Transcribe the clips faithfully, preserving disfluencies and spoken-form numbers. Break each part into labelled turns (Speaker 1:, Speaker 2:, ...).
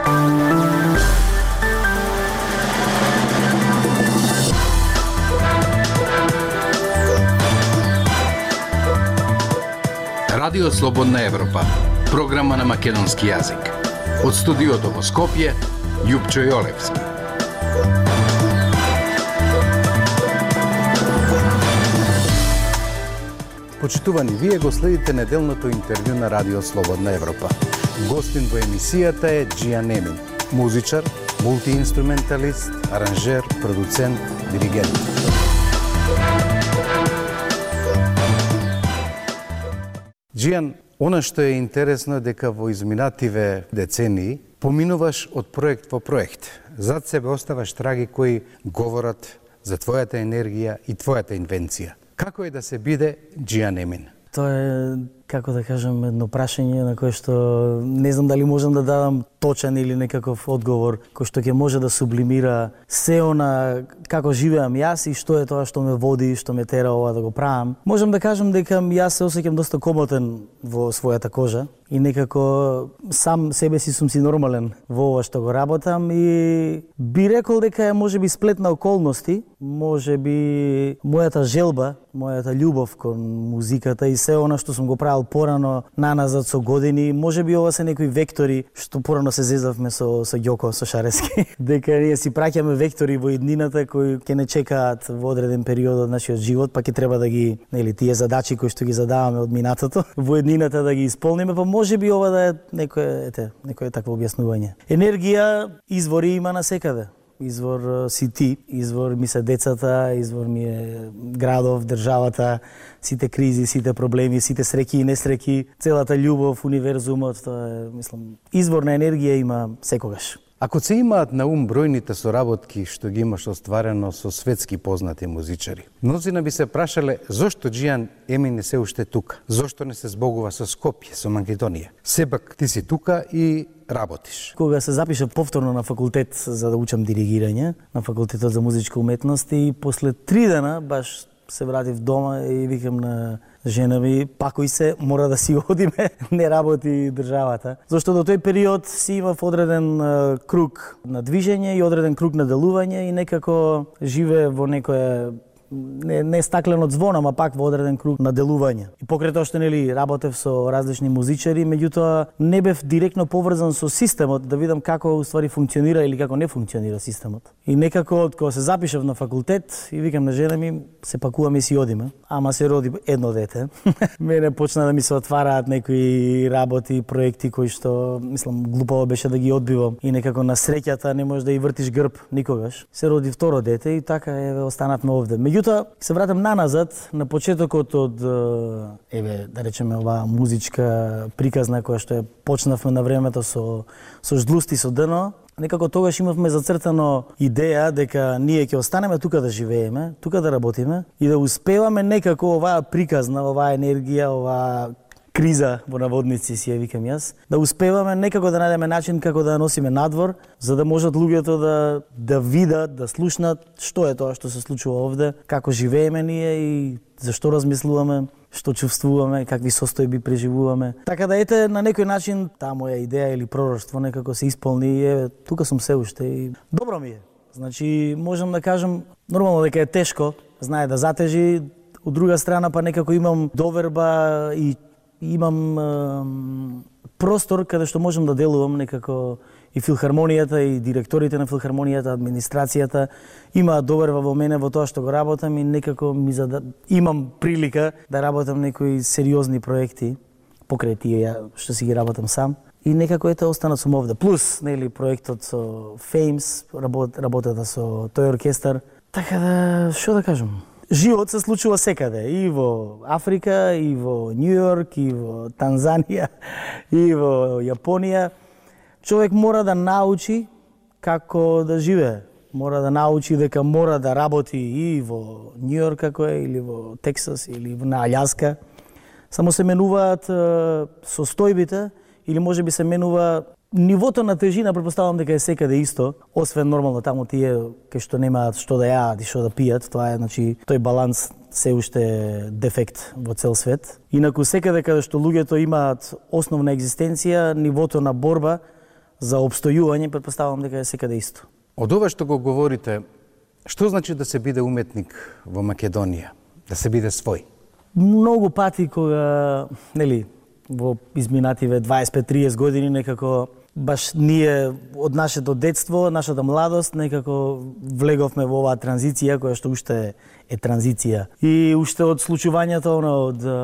Speaker 1: Радио Слободна Европа, програма на македонски јазик. Од студиото во Скопје, Јупчо Јолевски. Почитувани, вие го следите неделното интервју на Радио Слободна Европа. Гостин во емисијата е Џијан Емин, музичар, мултиинструменталист, аранжер, продуцент, диригент. Џијан, она што е интересно е дека во изминативе децении поминуваш од проект во проект. Зад себе оставаш траги кои говорат за твојата енергија и твојата инвенција. Како е да се биде Џијан Емин?
Speaker 2: Тоа е, како да кажем, едно прашање на кое што не знам дали можам да дадам точен или некаков одговор кој што ќе може да сублимира се она како живеам јас и што е тоа што ме води, што ме тера ова да го правам. Можам да кажем дека јас се осеќам доста комотен во својата кожа и некако сам себе си сум си нормален во ова што го работам и би рекол дека е можеби сплет на околности, можеби мојата желба, мојата љубов кон музиката и се она што сум го правил порано наназад со години, можеби ова се некои вектори што порано се зезавме со со Ѓоко, со Шарески, дека ние си праќаме вектори во иднината кои ќе не чекаат во одреден период од нашиот живот, па ќе треба да ги, нели, тие задачи кои што ги задаваме од минатото, во иднината да ги исполниме, па можеби ова да е некое, ете, некое такво објаснување. Енергија извори има насекаде. Извор си ти, извор ми се децата, извор ми е градов, државата, сите кризи, сите проблеми, сите среќи и несреќи, целата љубов, универзумот, тоа е, мислам, извор на енергија има секогаш.
Speaker 1: Ако се имаат на ум бројните соработки што ги имаш остварено со светски познати музичари, мнозина би се прашале зошто Џијан Емин не се уште тука, зошто не се збогува со Скопје, со Македонија. Сепак ти си тука и работиш.
Speaker 2: Кога се запишав повторно на факултет за да учам диригирање, на факултетот за музичка уметност и после три дена баш се вратив дома и викам на жена ми, пакој се, мора да си одиме, не работи државата. Зашто до тој период си имав одреден uh, круг на движење и одреден круг на делување и некако живее во некое не, не стаклено звон, ама пак во одреден круг на делување. И покрај тоа што нели работев со различни музичари, меѓутоа не бев директно поврзан со системот да видам како уствари функционира или како не функционира системот. И некако кога се запишав на факултет и викам на жена ми, се пакуваме и си одиме, ама се роди едно дете. Мене почна да ми се отвараат некои работи, проекти кои што мислам глупаво беше да ги одбивам и некако на среќата не можеш да и вртиш грб никогаш. Се роди второ дете и така еве останавме овде. Меѓутоа се вратам наназад на почетокот од еве да речеме оваа музичка приказна која што ја почнавме на времето со со Ждлусти со Дно. Некако тогаш имавме зацртано идеја дека ние ќе останеме тука да живееме, тука да работиме и да успеваме некако оваа приказна, оваа енергија, оваа криза во наводници си ја викам јас, да успеваме некако да најдеме начин како да ја носиме надвор, за да можат луѓето да да видат, да слушнат што е тоа што се случува овде, како живееме ние и зашто размислуваме, што чувствуваме, какви состојби преживуваме. Така да ете на некој начин таа моја идеја или пророштво некако се исполни и е, тука сум се уште и добро ми е. Значи можам да кажам нормално дека е тешко, знае да затежи, од друга страна па некако имам доверба и имам е, простор каде што можам да делувам некако и филхармонијата и директорите на филхармонијата, администрацијата имаат доверба во мене во тоа што го работам и некако ми зада... имам прилика да работам некои сериозни проекти покрај тие што си ги работам сам и некако ете останат сум овде. Плюс нели проектот со Феймс, работ, работата со тој оркестар. Така да што да кажам? Живот се случува секаде, и во Африка, и во Њу Јорк, и во Танзанија, и во Јапонија. Човек мора да научи како да живее. Мора да научи дека мора да работи и во Њу Јорк како е, или во Тексас, или на Аљаска. Само се менуваат состојбите, или може би се менува нивото на тежина, претпоставувам дека е секаде исто, освен нормално таму тие кај што немаат што да јаат и што да пијат, тоа е, значи, тој баланс се уште дефект во цел свет. Инаку секаде каде што луѓето имаат основна екзистенција, нивото на борба за опстојување, претпоставувам дека е секаде исто.
Speaker 1: Од ова што го говорите, што значи да се биде уметник во Македонија, да се биде свој?
Speaker 2: Многу пати кога, нели, во изминативе дваесет пет триесет години некако баш ние од нашето детство, нашата младост некако влеговме во оваа транзиција која што уште е транзиција. И уште од случувањето од а,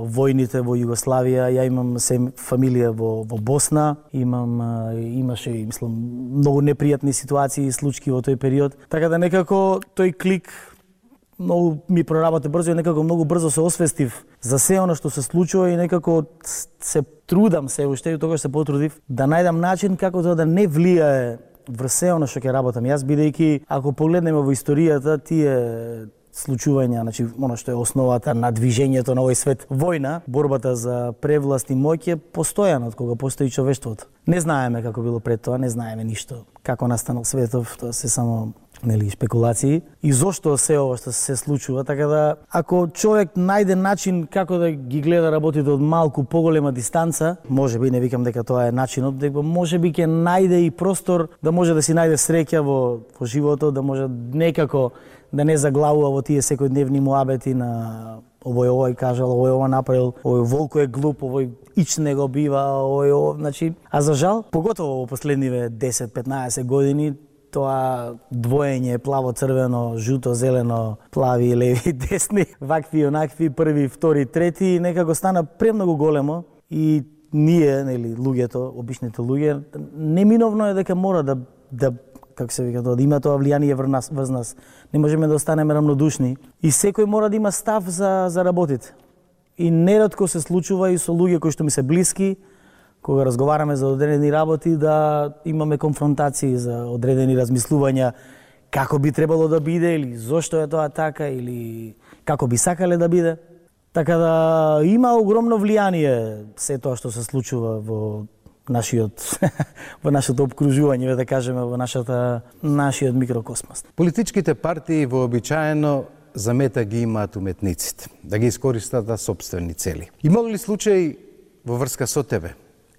Speaker 2: војните во Југославија, ја имам се фамилија во во Босна, имам а, имаше мислам многу непријатни ситуации и случаи во тој период. Така да некако тој клик многу ми проработи брзо и некако многу брзо се освестив за се она што се случува и некако се трудам се уште и тогаш се потрудив да најдам начин како тоа да не влијае врз се она што ќе работам јас, бидејќи ако погледнеме во историјата тие случувања, значи она што е основата на движењето на овој свет, војна, борбата за превласт и моќ е постојана од кога постои човештвото. Не знаеме како било пред тоа, не знаеме ништо. Како настанал светов, тоа се само нели спекулации и зошто се ова што се случува, така да ако човек најде начин како да ги гледа работите од малку поголема дистанца, можеби не викам дека тоа е начинот, дека можеби ќе најде и простор да може да си најде среќа во во животот, да може некако да не заглавува во тие секојдневни муабети на овој овој кажал, овој ова направил, овој волко е глуп, овој ич не го бива, овој ова, значи, а за жал, поготово во последниве десет петнаесет години тоа двоење плаво, црвено, жуто, зелено, плави, леви, десни, вакви, онакви, први, втори, трети, некако стана премногу големо и ние, нели, луѓето, обичните луѓе, неминовно е дека мора да да како се вика тоа, да има тоа влијание врз нас, врз нас. Не можеме да останеме рамнодушни и секој мора да има став за за работите. И неретко се случува и со луѓе кои што ми се блиски, кога разговараме за одредени работи, да имаме конфронтации за одредени размислувања како би требало да биде или зошто е тоа така или како би сакале да биде. Така да има огромно влијание се тоа што се случува во нашиот во нашето опкружување, да кажеме, во нашата нашиот микрокосмос.
Speaker 1: Политичките партии вообичаено за мета ги имаат уметниците, да ги искористат за сопствени цели. Има ли случај во врска со тебе?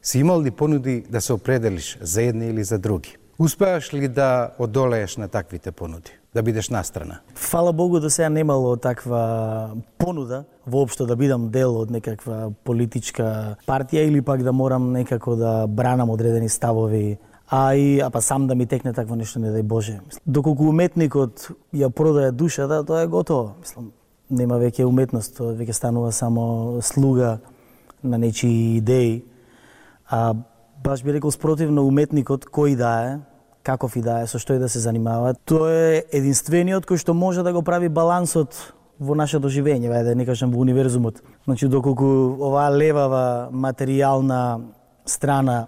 Speaker 1: Си имал ли понуди да се определиш за едни или за други? Успеаш ли да одолееш на таквите понуди, да бидеш настрана?
Speaker 2: Фала Богу да сега немало таква понуда, воопшто да бидам дел од некаква политичка партија или пак да морам некако да бранам одредени ставови, а и а па сам да ми текне такво нешто, не дај Боже. Доколку уметникот ја продаje душата, тоа е готово. Мислам, нема веќе уметност, тоа веќе станува само слуга на нечии идеи. А баш би рекол спротивно, уметникот кој да е, каков и да е, со што и да се занимава, тој е единствениот кој што може да го прави балансот во нашето живење, вајде да не кажам во универзумот. Значи доколку оваа левава материјална страна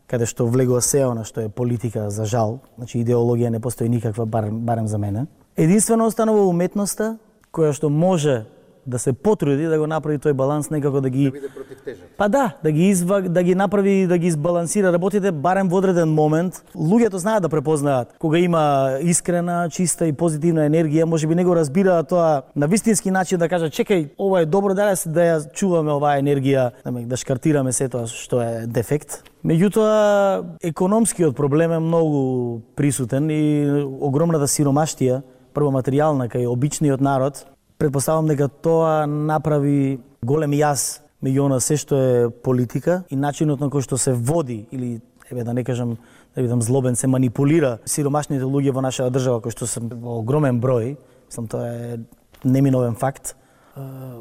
Speaker 2: каде што влегува се она што е политика, за жал, значи идеологија не постои никаква, барем, барем за мене. Единствено останува уметноста која што може да се потруди да го направи тој баланс, некако да ги
Speaker 1: да биде против тежат.
Speaker 2: Па да, да ги изва, да ги направи, да ги избалансира работите барем во одреден момент. Луѓето знаат да препознаат кога има искрена, чиста и позитивна енергија, можеби не го разбираат тоа на вистински начин, да кажат чекај, ова е добро, да да ја чуваме оваа енергија, да шкартираме се тоа што е дефект. Меѓутоа, економскиот проблем е многу присутен и огромната сиромаштија, прво материјална кај обичниот народ. Предпоставам дека тоа направи голем јас меѓу она се што е политика и начинот на кој што се води или, еве да не кажам, да бидам злобен, се манипулира сиромашните луѓе во нашата држава, кои што се во огромен број, мислам тоа е неминовен факт,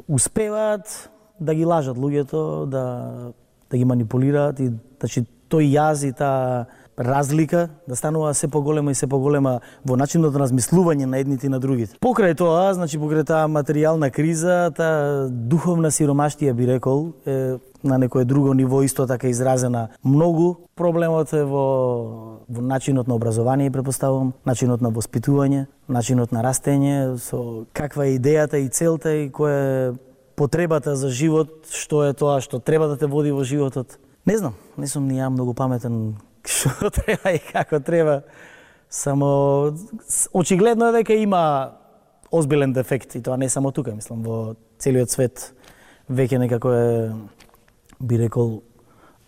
Speaker 2: успеваат да ги лажат луѓето, да да ги манипулираат и значи тој јаз и таа разлика да станува се поголема и се поголема во начинот на размислување на едните и на другите. Покрај тоа, значи покрај таа материјална криза, таа духовна сиромаштија би рекол е на некое друго ниво исто така изразена многу. Проблемот е во во начинот на образование, претпоставувам, начинот на воспитување, начинот на растење, со каква е идејата и целта и која е потребата за живот, што е тоа што треба да те води во животот. Не знам, не сум ни ја многу паметен што треба и како треба. Само очигледно е дека има озбилен дефект и тоа не само тука, мислам во целиот свет веќе некако е би рекол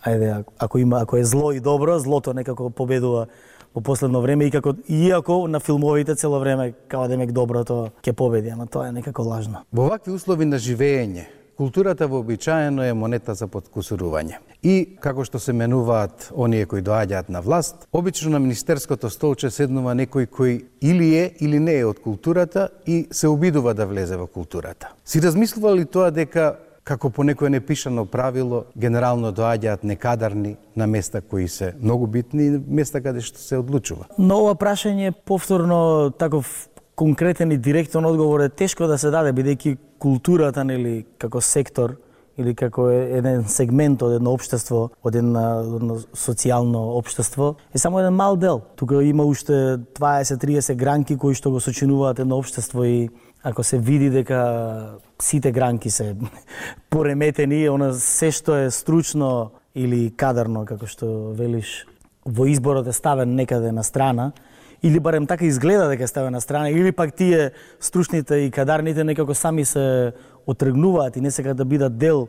Speaker 2: ајде, ако има, ако е зло и добро, злото некако победува во последно време и како иако на филмовите цело време као демек доброто ќе победи, ама тоа е некако лажно.
Speaker 1: Во вакви услови на живење, културата вообичаено е монета за подкусурување. И како што се менуваат оние кои доаѓаат на власт, обично на министерското столче седнува некој кој или е или не е од културата и се обидува да влезе во културата. Си размислува ли тоа дека како по некое непишано правило, генерално доаѓаат некадарни на места кои се многу битни и места каде што се одлучува?
Speaker 2: На ова прашање повторно таков конкретен и директен одговор е тешко да се даде, бидејќи културата, нели, како сектор или како еден сегмент од едно општество, од едно социјално општество, е само еден мал дел. Тука има уште дваесет до триесет гранки кои што го сочинуваат едно општество и ако се види дека сите гранки се пореметени, она се што е стручно или кадарно, како што велиш, во изборот е ставен некаде на страна, или барем така изгледа дека е ставен на страна, или пак тие стручните и кадарните некако сами се отргнуваат и не сакаат да бидат дел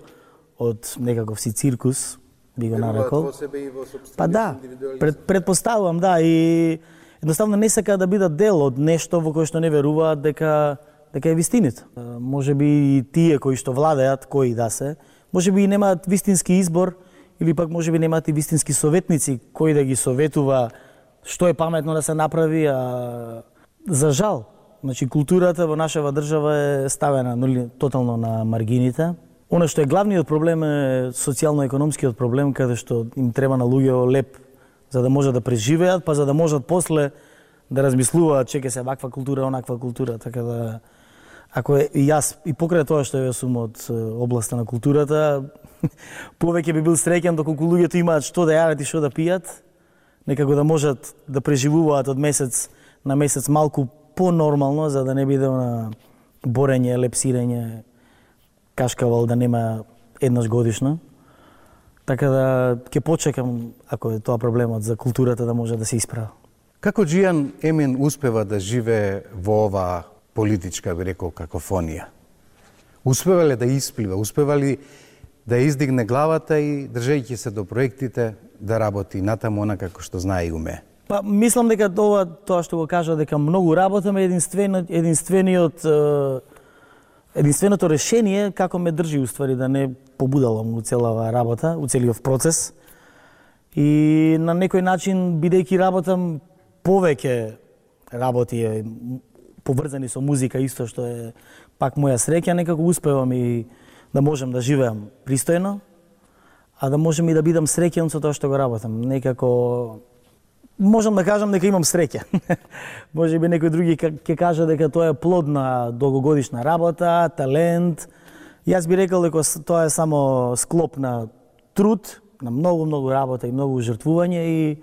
Speaker 2: од некаков си циркус, би го нарекол. Па да, пред, предпоставувам, да, и едноставно не сакаат да бидат дел од нешто во кое што не веруваат дека дека е вистината. Може би и тие кои што владеат, кои да се, може би и немаат вистински избор, или пак може би немаат и вистински советници кои да ги советува што е паметно да се направи, а за жал, значи културата во нашава држава е ставена нали, тотално на маргините. Она што е главниот проблем е социјално-економскиот проблем, каде што им треба на луѓе леп за да можат да преживеат, па за да можат после да размислуваат че ќе се ваква култура, онаква култура, така да ако е, и јас и покрај тоа што јас сум од областа на културата, повеќе би бил среќен доколку луѓето имаат што да јадат и што да пијат, некако да можат да преживуваат од месец на месец малку по-нормално, за да не биде на борење, лепсирање, кашкавал да нема еднаш годишно. Така да ќе почекам, ако е тоа проблемот за културата, да може да се исправа.
Speaker 1: Како Џијан Емин успева да живее во оваа политичка, би рекол, какофонија? Успева ли да исплива? Успева ли да издигне главата и, држејќи се до проектите, да работи натаму онака како што знае и уме?
Speaker 2: Па, мислам дека тоа, тоа што го кажа, дека многу работаме, единствено, единствениот, единственото решение како ме држи, уствари, да не побудалам у целава работа, у целиот процес. И на некој начин, бидејќи работам повеќе работи, поврзани со музика, исто што е пак моја среќа, некако успевам и да можам да живеам пристојно, а да можам и да бидам среќен со тоа што го работам. Некако можам да кажам дека имам среќа. Може би некој други ќе каже дека тоа е плод на долгогодишна работа, талент. Јас би рекол дека тоа е само склоп на труд, на многу многу работа и многу жртвување и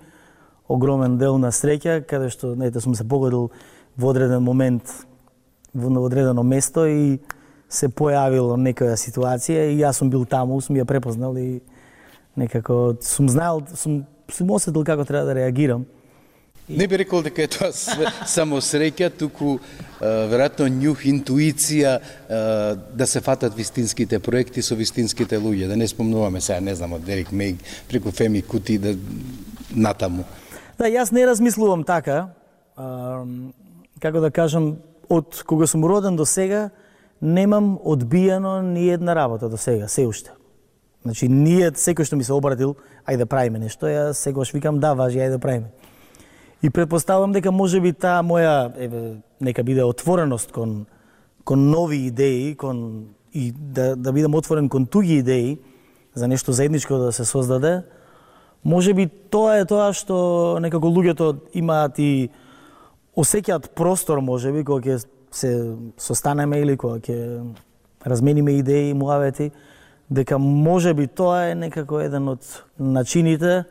Speaker 2: огромен дел на среќа, каде што нете сум се погодил во одреден момент во одредено место и се појавила некоја ситуација и јас сум бил таму, сум ја препознал и некако сум знаел, сум сум осетил како треба да реагирам.
Speaker 1: Не би рекол дека е тоа само среќа, туку веројатно њух, интуиција да се фатат вистинските проекти со вистинските луѓе, да не спомнуваме сега, не знам, од Дерик Меј преку Феми Кути да натаму.
Speaker 2: Да, јас не размислувам така, а, како да кажам, од кога сум роден до сега, немам одбиено ни една работа до сега, се уште. Значи, ние, секој што ми се обратил, ајде да правиме нешто, ја секогаш викам да, важи, ајде да правиме. И предпоставам дека може би таа моја, еве, нека биде отвореност кон, кон нови идеи, кон, и да, да бидам отворен кон туги идеи, за нешто заедничко да се создаде, може би тоа е тоа што некако луѓето имаат и осеќаат простор, може би, кога ќе се состанеме или кога ќе размениме идеи и муавети, дека може би тоа е некако еден од начините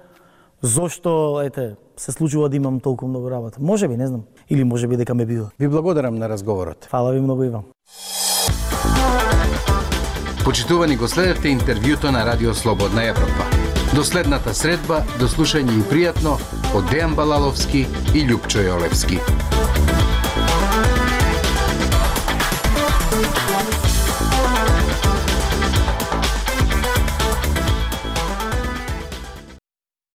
Speaker 2: зошто, ете, се случува да имам толку многу работа. Може би, не знам. Или може би дека ме бива.
Speaker 1: Ви благодарам на разговорот.
Speaker 2: Фала ви многу и вам.
Speaker 1: Почитувани, го следевте интервјуто на Радио Слободна Европа. До следната средба, до слушање и пријатно од Дејан Балаловски и Љупчо Јолевски.